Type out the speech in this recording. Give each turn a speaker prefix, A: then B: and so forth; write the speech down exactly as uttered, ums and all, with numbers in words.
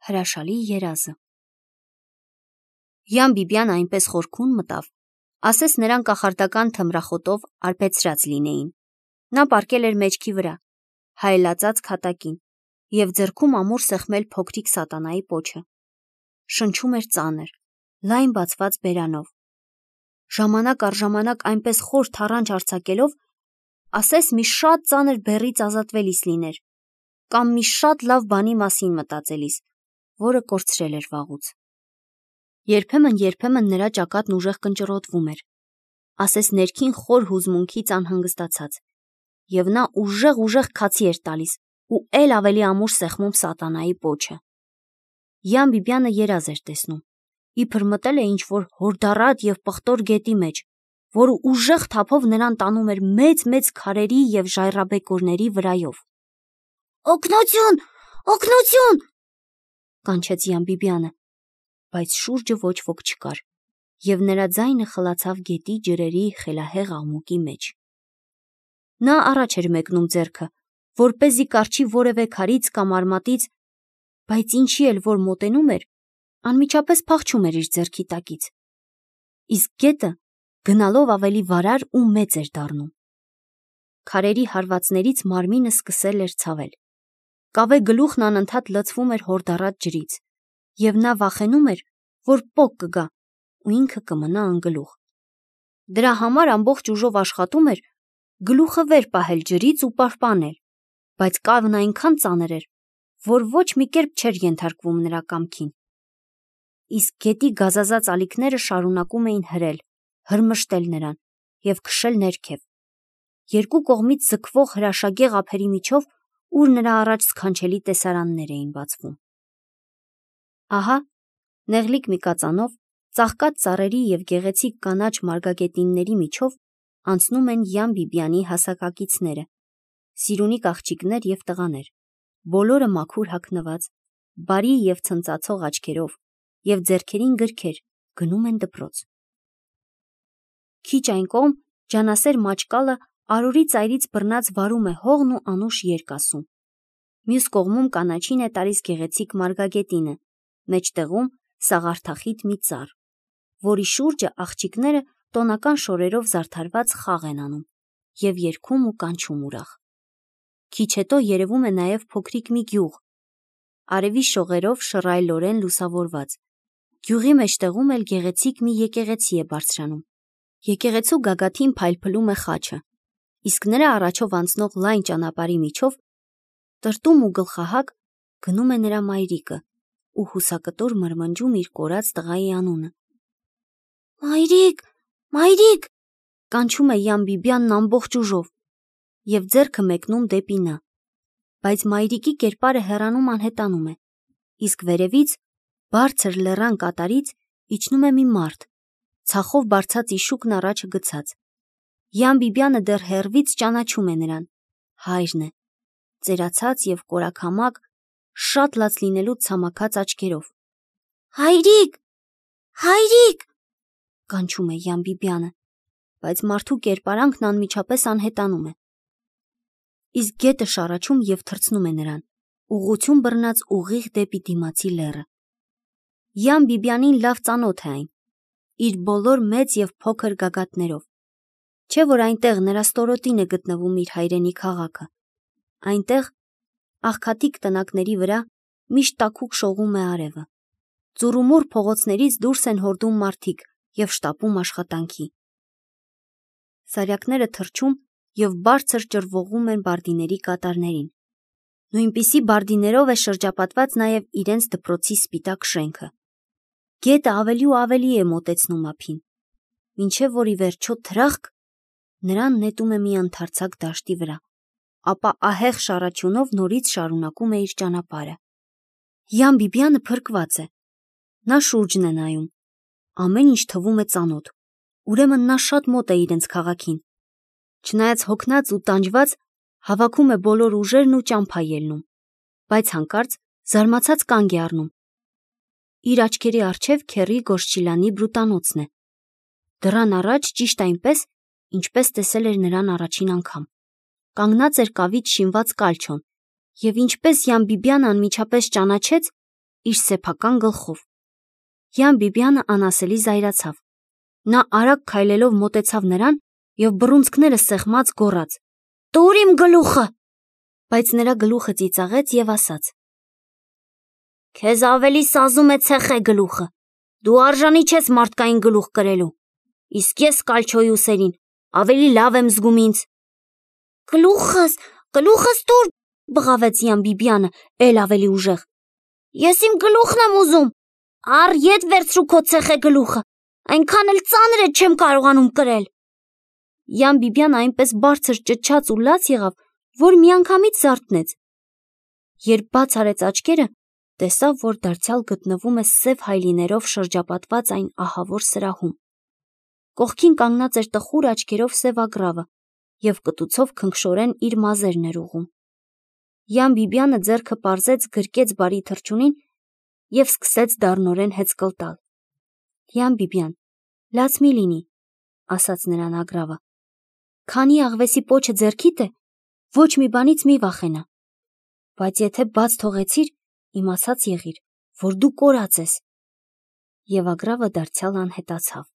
A: Հրաշալի երազը։ Յան Բիբյանը այնպես խորքուն մտավ, ասես նրան կախարդական թմրախոտով արբեցրած լինեին։ Նա պառկել էր մեջքի վրա, հայելածած քատակին, և ձեռքում ամուր սեղմել փոքրիկ սատանայի պոչը։ Շնչում էր ծանր, լայն բացված բերանով։ Ժամանակ առ ժամանակ այնպես խոր թառանչ արձակելով, ասես մի շատ ծանր բեռից ազատվելիս լիներ, կամ մի շատ լավ բանի մասին մտածելիս, որը կորցրել էր վաղուց։ Երբեմն-երբեմն նրա ճակատն ուժեղ կնճռոտվում էր, ասես ներքին խոր հուզմունքից անհանգստացած, և նա ուժեղ-ուժեղ քացի էր տալիս ու էլ ավելի ամուր սեղմում սատանայի պոչը։ Յան Բիբյանը երազ էր տեսնում, իբր մտել է ինչ-որ հորդառատ և պղտոր գետի մեջ, որը ուժեղ թափով նրան տանում էր մեծ-մեծ քարերի և ժայռաբեկորների վրայով։ «Օգնություն, օգնություն», կանչեց Յան Բիբյանը, բայց շուրջը ոչ ոք չկար, և նրա ձայնը խլացավ գետի ջրերի խելահեղ աղմուկի մեջ։ Նա առաջ էր մեկնում ձեռքը, որպեսզի կառչի որևէ քարից կամ արմատից, բայց ինչի էլ որ մոտենում էր, անմիջապես փախչում էր իր ձեռքի տակից, իսկ գետը գնալով ավելի վարար ու մեծ էր դառնում։ Քարերի հարվածներից մարմինը սկսել էր ցավել, կավե գլուխն անընդհատ լցվում էր հորդառատ ջրից, և նա վախենում էր, որ պոկ կգա ու ինքը կմնա անգլուխ։ Դրա համար ամբողջ ուժով աշխատում էր գլուխը վեր պահել ջրից ու պահպանել, բայց կավն այնքան ծանր էր, որ ոչ մի կերպ չէր ենթարկվում նրա կամքին։ Իսկ գետի գազազած ալիքները շարունակում էին հրել, հրմշտել նրան և քշել ներքև, երկու կողմից ձգվող հրաշագեղ ափերի միջով, ուր նրա առաջ սքանչելի տեսարաններ էին բացվում։ Ահա, նեղլիկ մի կածանով, ծաղկած ծառերի և գեղեցիկ կանաչ մարգագետինների միջով անցնում են Յան Բիբյանի հասակակիցները, սիրունիկ աղջիկներ և տղաներ, բոլորը մաքուր հագնված, բարի և ցնծացող աչքերով, և ձեռքերին գրքեր, գնում են դպրոց։ Քիչ այն կողմ ջանասեր մաճկալը արորի ծայրից բռնած վարում է հողն ու անուշ երկ ասում։ Մյուս կողմում կանաչին է տալիս գեղեցիկ մարգագետինը, մեջտեղում սաղարթախիտ մի ծառ, որի շուրջը աղջիկները տոնական շորերով զարդարված խաղ են անում և երգում ու կանչում ուրախ։ Քիչ հետո երևում է նաև փոքրիկ մի գյուղ, արևի շողերով շռայլորեն լուսավորված։ Գյուղի մեջտեղում էլ գեղեցիկ մի եկեղեցի է բարձրանում։ Եկեղեցու գագաթին փայլփլում է խաչը, իսկ նրա առաջով անցնող լայն ճանապարհի միջով, տրտում ու գլխահակ, գնում է նրա մայրիկը ու հուսակտոր մրմնջում իր կորած տղայի անունը։ «Մայրիկ, մայրիկ», կանչում է Յան Բիբյանն ամբողջ ուժով և ձեռքը մեկնում դեպի նա, բայց մայրիկի կերպարը հեռանում անհետանում է, իսկ վերևից, բարձր լեռան կատարից իջնում է մի մարդ, ցախով բարձած իշուկն առաջը գցած։ Յան Բիբյանը դեռ հեռվից ճանաչում է նրան, հայրն է, ծերացած և կորաքամակ, շատ լաց լինելուց ցամաքած աչքերով։ «Հայրիկ, հայրիկ», կանչում է Յան Բիբյանը, բայց մարդու կերպարանքն անմիջապես անհետանում է։ Իսկ գետը շառաչում և թռցնում է նրան, ուղղություն բռնած ուղիղ դեպի դիմացի լեռը։ Յան Բիբյանին լավ ծանոթ է այն, իր բոլոր մեծ և փոքր գագաթներով, չէ՞ որ այնտեղ նրա ստորոտին է գտնվում իր հայրենի քաղաքը։ Այնտեղ, աղքատիկ տնակների վրա, միշտ տաքուկ շողում է արևը։ Ծուռումուռ փողոցներից դուրս են հորդում մարդիկ և շտապում աշխատանքի։ Սարյակները թռչում և բարձր ճռվողում են բարդիների կատարներին։ Նույնպիսի բարդիներով է շրջապատված նաև իրենց դպրոցի սպիտակ շենքը։ Գետը ավելի ու ավելի է մոտեցնում ափին, մինչև որ ի վերջո թրախկ նրան նետում է մի ընդարձակ դաշտի վրա, ապա ահեղ շառաչյունով նորից շարունակում է իր ճանապարհը։ Յան Բիբյանը փրկված է։ Նա շուրջն է նայում։ Ամեն ինչ թվում է ծանոթ, ուրեմն նա շատ մոտ է իրենց քաղաքին։ Չնայած հոգնած ու տանջված, հավաքում է բոլոր ուժերն ու ճամփա ելնում, բայց հանկարծ զարմացած կանգ է առնում։ Իր աչքերի առջև քեռի Գոշչիլյանի բրուտանոցն է։ Դռան առաջ ճիշտ այնպես, ինչպես տեսել էր նրան առաջին անգամ։ Կանգնած էր կավից շինված կալչոն, և ինչպես Յան Բիբյանը անմիջապես ճանաչեց, իր սեփական գլխով։ Յան Բիբյանը անասելի զայրացավ։ Նա արագ քայլելով մոտեցավ նրան եւ բռունցքները սեղմած գոռաց. «Տուր իմ գլուխը»։ Բայց նրա գլուխը ծիծաղեց եւ ասաց. «Քեզ ավելի սազում է ցեխե գլուխը։ Դու արժանի չես մարդկային գլուխ կրելու։ Իսկ ես կալչոյի ուսերին ավելի լավ եմ զգում ինձ»։ «Գլուխս, գլուխս տուր», բղավեց Յան Բիբյանը էլ ավելի ուժեղ։ «Ես իմ գլուխն եմ ուզում։ Առ ետ վերցրու քո ցեխե գլուխը, այնքան էլ ծանր է չեմ կարողանում կրել»։ Յան Բիբյանը այնպես բարձր ճչաց ու լաց եղավ, որ միանգամից զարթնեց։ Երբ բաց արեց աչքերը, տեսավ, որ դարձյալ գտնվում է սև հայլիներով շրջապատված այն ահավոր սրահում։ Կողքին կանգնած էր տխուր աչքերով Սև Ագռավը եւ կտուցով քնքշորեն իր մազերն էր ուղում։ Յան Բիբյանը ձեռքը պարզեց գրկեց բարի թռչունին եւ սկսեց դառնորեն հեծկլ տալ։ «Յան Բիբյան, լաց մի լինի», ասաց նրան Ագռավը։ «Քանի աղվեսի պոչը ձեռքիդ է, ոչ մի բանից մի վախենա։ Բայց եթե բաց թողեցիր, իմացած եղիր, որ դու կորած ես»։ Եվ Ագռավը դարձյալ անհետացավ։